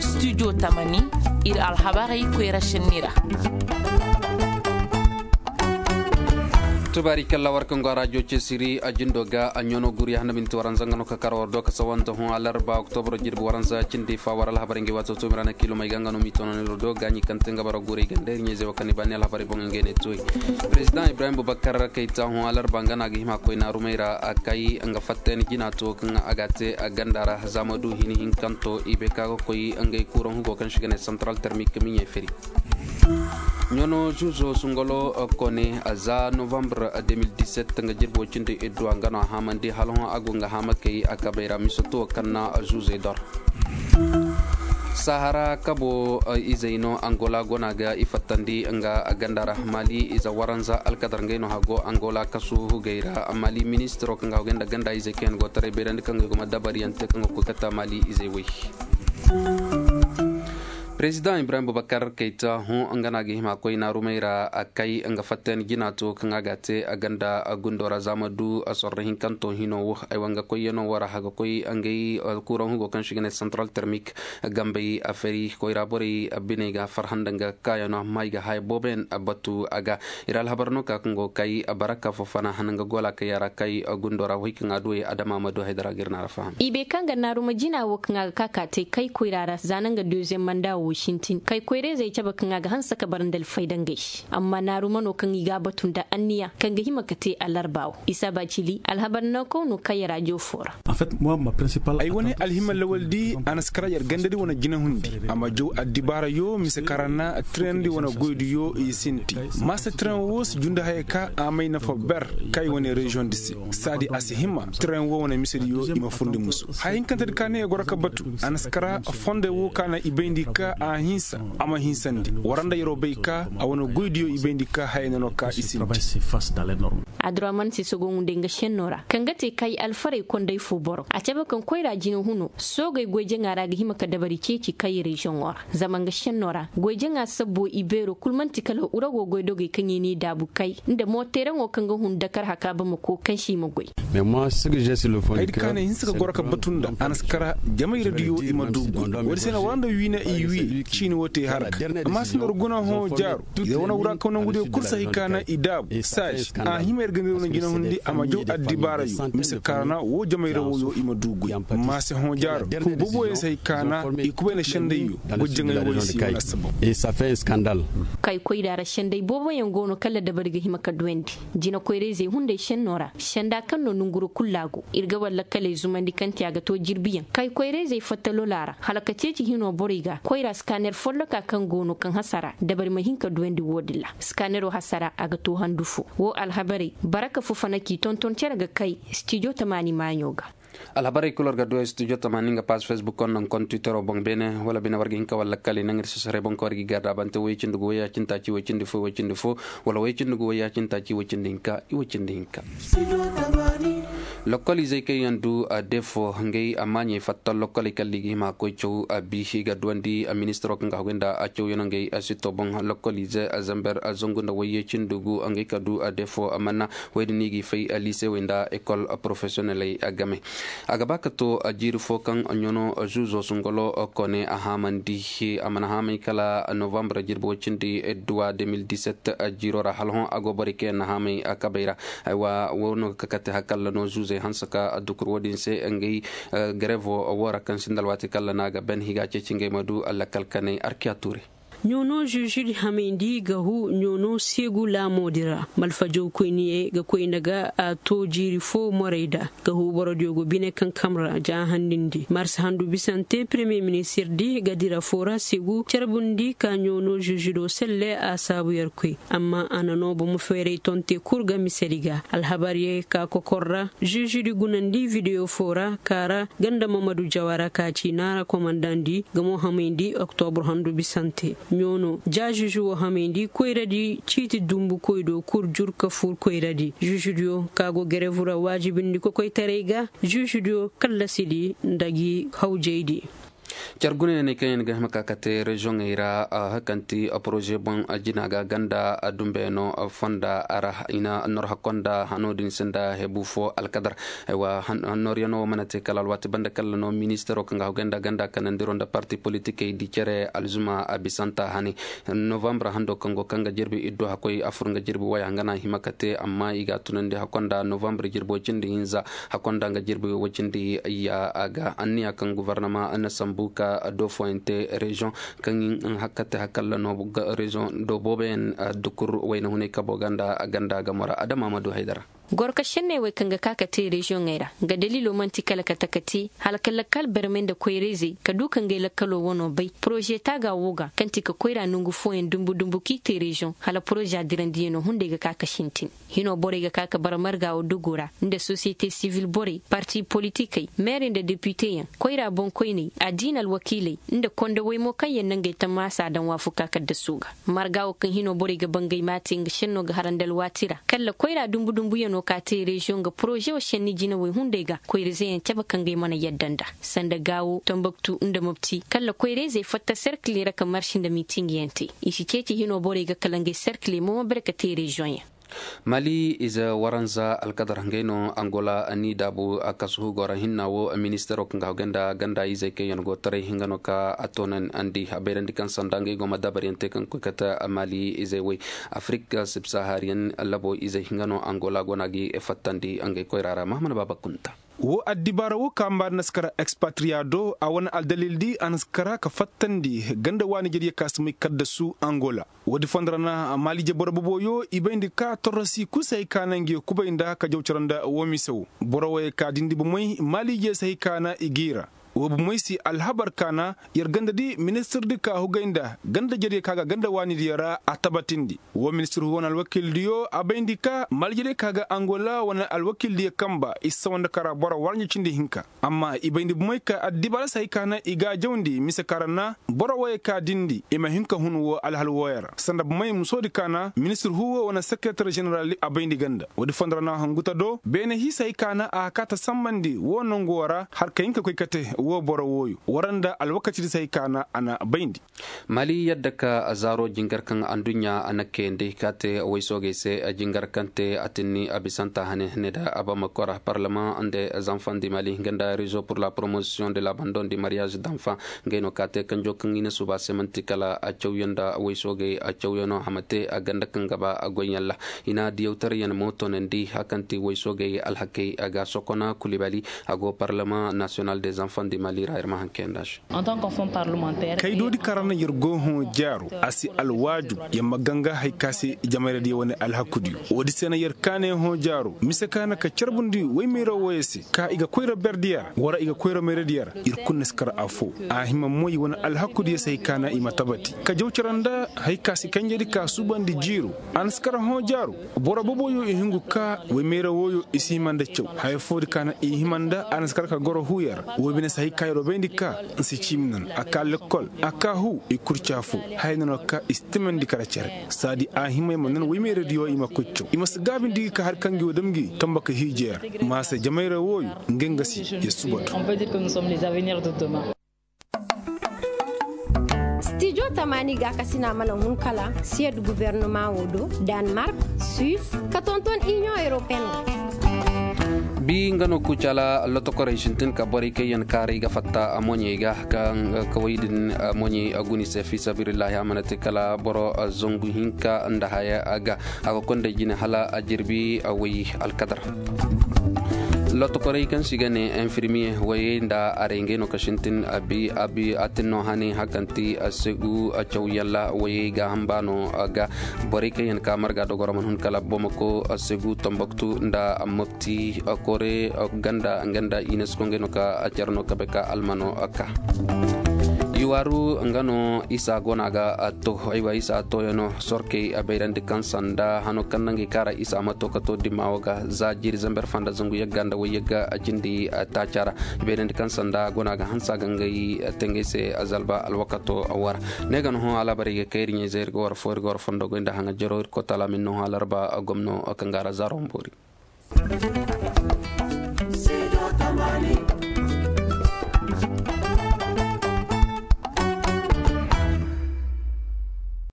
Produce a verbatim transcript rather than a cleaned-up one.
Studio tamani, ir alhabarey koyra šenni ra. Tubaari kalla war kaŋ go a rajo cesiri a jindo ga a ɲono guri handa minti waranza nga no ka kar war do ka sawanta hõ alarba oktobro jirbi waranza cindi fa war alhabarey nga ay waato toomi ra na kiilomey ga nga no m'i tono niro do gaaɲi kaŋ te nga bara gurey ganda ir ɲayzey wo kaŋ ni baani alhabarey boŋ ngey ne tooy. President ibrahim bubakar kayta hõ alarba nga no a ga hima koy naarumey ra a kay nga fattayni jina to kaŋ a ga a te a ganda ra za ma du hini hinkanto i bay ka ga koy ngey kuuraŋ hugo kaŋ se i ga ne central termik miɲey feri. Ɲono zuzo sungalo kone za novembre deux mille dix-sept nga jirbo cindi idduwa nga no a haamandi hala hõ a go nga haamakey a kabey ra misoto kaŋ na zuzey dor. Sahara kabo izey no angola gona ga i fattandi nga ganda ra mali ize waranza alkadar ngey no hago angola kasu hugey ra mali ministiro kaŋ ga hugey nda ganda izey kaŋ yaŋ go taray bayrandi kaŋ ga i go ma dabariyaŋ te kaŋ ga koy kata mali izey wey. President ibrahim bubakar kayta hõ nga no a ga hima koy naarumey ra a kay nga fatten jina to kaŋ a ga a te a ganda gundo ra za ma du a sorro hinkanto hino wo ay wa nga koyyaŋo wo ra a ga koy ngey kuuraŋ hugo kaŋ se i ga ne central termik gambey a fari koyra borey biney ga farhã nda nga kaayaŋo amma i ga haya booboyaŋ batu a ga. Ir alhabar no ka kaŋ go kay baraka fofana hana nga gola kay a ra kay gundo ra wo hay kaŋ a duwey adama ma du haydara ga ir na a ra faham. I bay kaŋ ga naaruma jina wo kaŋ a ga ka ka te kay koyra ra za na nga deuxième manda wo sintin kay koyra-izey cabe kaŋ a ga hanse ka bara nda alfayda ngey se amma naaruma no kaŋ i ga a batu nda anniya kaŋ ga hima ka te alarba wo isa ba cili alhabar no kaw no kay raajo fo ra. Ay wane alhima lawaldi a na si kara yer gandadi wane jinahundi a ma jaw addibaarayo mise kara na tirandi wane goydiyo i sinti. Maasa tiran wo si jundi haya ka a may nafa ber kay wane reziyoŋ di se saadi a si hima tiran wo wane misediyo i ma furndi musu haya hinkantedi ka ne ya goro ka batu a na si kara fonde wo ka na i bayndi ka a hinsa a ma hinsandi wara nda yeroo bay ka a wane goydiyo i bayndi ka haya nano ka i sinti. Aduraman se sogo hunday nga senno ra kaŋ ga te kay alfarey konday fo boro a cabe kaŋ koyra jina huno soogey goy jaŋa ra ga hima ka dabari ceeci kay reziyoŋo ra zama nga senno ra goy jaŋa sabbo i beero kul man'ti kala urago goydogey kaŋ i n'i daabu kay nda mooteeraŋo kaŋ ga hun dakar haka bamako kaŋ se i ma goy. Ay di kaanay hinsa ka goro ka batu nda a na si kara jamayra diyo i ma du goy woodi se na wara nda wiina i wii ciini wo te harka amma si nor guna hõ jaaru. Yer wane wura kaw nangudiyo kul si hay ka na i daabu saasi a hima yer ga nir wane jinahundi a ma jaw addibaarayo mise kaana wo jamayra woyo i ma du goy. Maase hõ jaaro ka booboyaŋ si hay ka na i kubay na sendayyo goy jaŋay woyo si wane assabab. Kay koyra ra senday booboyaŋ go no kala dabari ga hima ka duwandi jina koyra-izey hunday senno ra senda kaŋ no nonguro kul laago ir ga war lakkaley zumandi kaŋ te a ga to jirbiyaŋ kay koyra-izey fatta lola ra hala ka ceeci hino borey ga koyra skaner folloka kaŋ go no kaŋ hasara dabari ma hin ka duwandi wo-din ra. Skanero hasara a ga to handu fo wo alhabarey baraka fufana k'i tonton cere ga kay stijo tamaani maaɲo ga. Alhabarey kul war ga duwey studio tamaani nga paas facebook konno nkontitero boŋ beene wala bine war ga hin ka war lakkaley naŋ ir sasarey boŋ ka war ga i garda bante woy cindi gu woy ya cindi taaci woy cindi fo woy cindi fo wala woy cindi gu woy ya cindi taaci woy cindi hinka i woy cindi hinka. Lokkol izey kaŋ yaŋ du defo ngey amaaɲey fatta lokkoley kala i ga hima koy caw a bi i ga duwandi a ministiro kaŋ ga hagu nda a cawyano ngey a sitto boŋ lokkol ize a zamber a zangu nda woy ya cindi gu ngey ka du a defo a manna woy din i g'i fay a liisewey nda ekol porofesiyoneley a game. A ga ba ka to a jiiri fo kaŋ ɲono zuuzo sungolo kone a haamandi a mana haamay kala novambre jirbi woy cindi duwa deux mille dix-sept a jiiro ra hala hõ a go borey kaŋ yaŋ na haamay a kabay ra. Aywa wo no ga kakate hakalla no zuuzey hanse ka a dukur wo-din se ngey garevo wo ra kaŋ sinda alwaati kalla no a ga ben i ga a ceeci ngey ma du a lakkal kanay arkiya tuure. Ɲoono žužudi hamayndi ga hu ɲoono seegu laamoodi ra malfajawkoyniyey ga koy nda ga a to jiiri fo morey da ga hu borodiyo go bine kankam ra ja handindi marsa handu bisante premiye ministirdi ga dira fo ra seegu carbundi ka ɲoono žužudo selle a saabu yer koy amma a na no bomo feeray tonte kul ga misedi ga alhabariyey ka kokor ra žužudi gunandi videyo fo ra ka ra ganda mamadu jawara ka ci naara komandandi ga mo hamayndi oktobur handu bisante ɲoono ja žužu wo hamayndi koyradi ciiti dumbu koy do kul jur ka fur koyradi žužudiyo ka go gerevu ra waajibindi kokoytaray ga žužudiyo kallasidi nda gi hawjaydi. Car gune ne kaŋ yaŋ ga hima ka kate reziyoŋey ra, hakanti poroze boŋ jina ga ganda dumbeyaŋo fonda ra. I na nor hakkonda hano din sinda hebu fo alkadar. Aywa, hannoryaŋo wo mana te kala alwaati banda kala no ministero kaŋ ga hogay nda ganda kanandiro nda parti politikey di care alzuma a bisanta hane. Novambre hando kaŋ go kaŋ ga jirbi iddu hakoy afur nga jirbi waya nga na hima ka te amma i ga tunandi hakonda novambre jirbi wacindi hinza hakonda nga jirbi wacindi ya a ga anniya kaŋ guvernama na sambu ka do foyante reziyoŋ kaŋ hakka te hakalla no reziyoŋ do booboyaŋ dukur wayna hunay kabo ganda ganda ga mora adama ma du haydara. Gorka šenney wey kaŋ ga ka ka te reziyoŋey ra nga daliilo man'ti kala ka taka te hala ka lakkal barmey nda koyra-izey ka du ka ngey lakkalo wano bay poroze taaga wo ga kaŋ ti ka koyra nongu fooyaŋ dumbu dumbu kaŋ i te reziyoŋ hala poroze a dirandiyaŋo hunday ga ka ka sintin. Hino borey ga ka ka bara marga wo dogo ra nda sosiyete sivil borey parti politikey meerey nda depiteyaŋ koyra boŋkoyney addiina alwakiiley nda kondowey mo kaŋ yaŋ na ngey tammaasa daŋ waafuka kaddasu ga. Marga wo kaŋ hino borey ga bangay ma te nga šenno ga harandi alwaati ra kalla koyra dumbu dumbuyaŋo ka te reziyoŋ ga poroze wo šenni jinawey hunday ga koyra-izeyaŋ cabe kaŋ ga ay mana yadda nda sanda gaawo tambaktu nda mopti kalla koyra-izey fatta serkiley ra ka marši nda miitingiyaŋ te. I si ceeci hino borey ga kala ngey serkiley momo bere ka te reziyoŋyaŋ. Mali ize waranza alkadar ngey no angola ni daabu a kasu goro hinna wo ministero kaŋ ga hawgay nda ganda izey kaŋ yaŋ go taray hinga no ka a toonandi a bayrandi kaŋ sanda ngey go ma dabaryaŋ te kaŋ koy kate mali izey way. Afrik sibsahariyaŋ labo izey hinga no angola go no a ga i fattandi ngey koyra ra mahamana baaba kunta. Wo addibaara wo ka mbaari na si kara ekspatriya do a wane aldalil di a na si kara ka fattandi ganda waani jariya ka si may kaddasu angola. Woodi fondo ra na maaliije boro boboyo i bayndi ka torrosi kul si hay ka na ngi kubay nda ka jaw cara nda wo mise wo. Boro woyey ka dindi bomey maaliije si hay ka na i g'i ra. Wo bomey si alhabar ka na yer ganda di ministir di ka hugay nda ganda jariya ka ga ganda waani diyo ra a tabatindi. Wo ministir hu wane alwakiil diyo a bayndi ka maaliije diyo ka ga angola wane alwakiil diyo kamba i si sawa nda kara boro waranja cindi hinka. Amma i bayndi bomey ka addibaara si hay ka na i ga a jawndi mise ka ra na boro woyey ka dindi i ma hin ka hun wo alhal wooyo ra sanda bomey musoodi ka na ministir hu wo wane sekeretar ženeral a bayndi ganda woodi fondo ra na hanguta do beene hiisa hay ka na a kaata sambandi wo nongu wo ra har ka hin ka koy kate wo boro wooyo wara nda alwakatidi si hay ka na a na bayndi. Mali yadda ka zaaro jingar kaŋ anduɲɲa a na kayandi ka te waysoogey se jingar kaŋ te a tinni a bisanta hane ne da a bama kora parlement nda zanfan di mali nga nda réseau pour la promotion de l'abandon du mariage d'enfant. Ngey no ka te kanjo kaŋ i na suba se manti kala a cawyaŋ nda waysoogey a cawyaŋo a ma te a ganda kaŋ ga ba a goyyaŋ ra. I na diyawtaryaŋ mo toonandi hakanti waysoogey alhakey a ga sokona kulibali a go parlement national des enfants du mali ra ir ma hanke nda se. Kaydoodi kaŋ ra na yer go hõ jaaro a si alwaajub yer ma ganga hay ka se jamayradiyo wane alhakudiyo. Woodi se na yer kaane hõ jaaro mise ka na ka carbundi woy mayra wooyo se ka i ga koyra berdiyo ra wara i ga koyra mayradiyo ra. Ir kulu na si kar afo a hima moy wane alhakudiyo se hay ka na i ma tabati ka jaw cara nda hay ka si kanjedi ka suubandi jiiro. A na si kar hõ jaaro boro boboyo i hingu ka woy mayra wooyo i si hima nda caw haya foodi ka na i hima nda a na si kar ka goro huuyo ra. Woy bine si hay ka yer wo bayndi ka nsi ciimi nan a ka lekkol a ka huu i kurca fo. Haya nano ka i si timandi kara cere saadi a hima i ma nan woy meeradiyo i ma koy caw i ma si gaabindi gi ka hari kaŋ gi wo dam gi tamba ka hiije yer. Ma se jamayra wooyo nga nga si ya suba do. Stijo tamaani gaakasina mana hun kala siyad gubernoma wo do, danmark, suis, ka tonton inion europeen. Bi nga no kucala lotokorey sintin ka borey kaŋ yaŋ kaaray ga fatta a moɲey ga kaŋ kaway din moɲey a guni se fi sabilillahi a mana te kala boro zangu hinka nda haya ga a ga konday jine hala a jirbi a way alkadar. Lotokorey kaŋ si ga ne infirmiye wayey nda aray ngey no ka sintin a bi a bi a tin no hane hakanti a segu a caw yalla wayey ga hamba no ga borey kaŋ yaŋ ka marga dogoro man hun kala bomako a segu tambaktu nda mopti kore ganda ganda inesko ngey no ka a care no ka bay ka almano ka. Iwaru nga no isa gona ga to aywa isa toyano sorkey a bayrandi kaŋ sanda hano kaŋ nangey kara isa ma to ka to dimma wo ga za jiri zamber fanda zangu yagga nda way yagga a cindi taaca ra. I bayrandi kaŋ sanda gona ga hansa ga ngey tengey se a zalba alwakato a wara. Ne ga no hõ alabari ga kayri ɲey zay ir ga war fo ir ga war fondo goy nda haŋa jero ir kotala min no hõ alarba gomno kaŋ ga ra zaro mbori.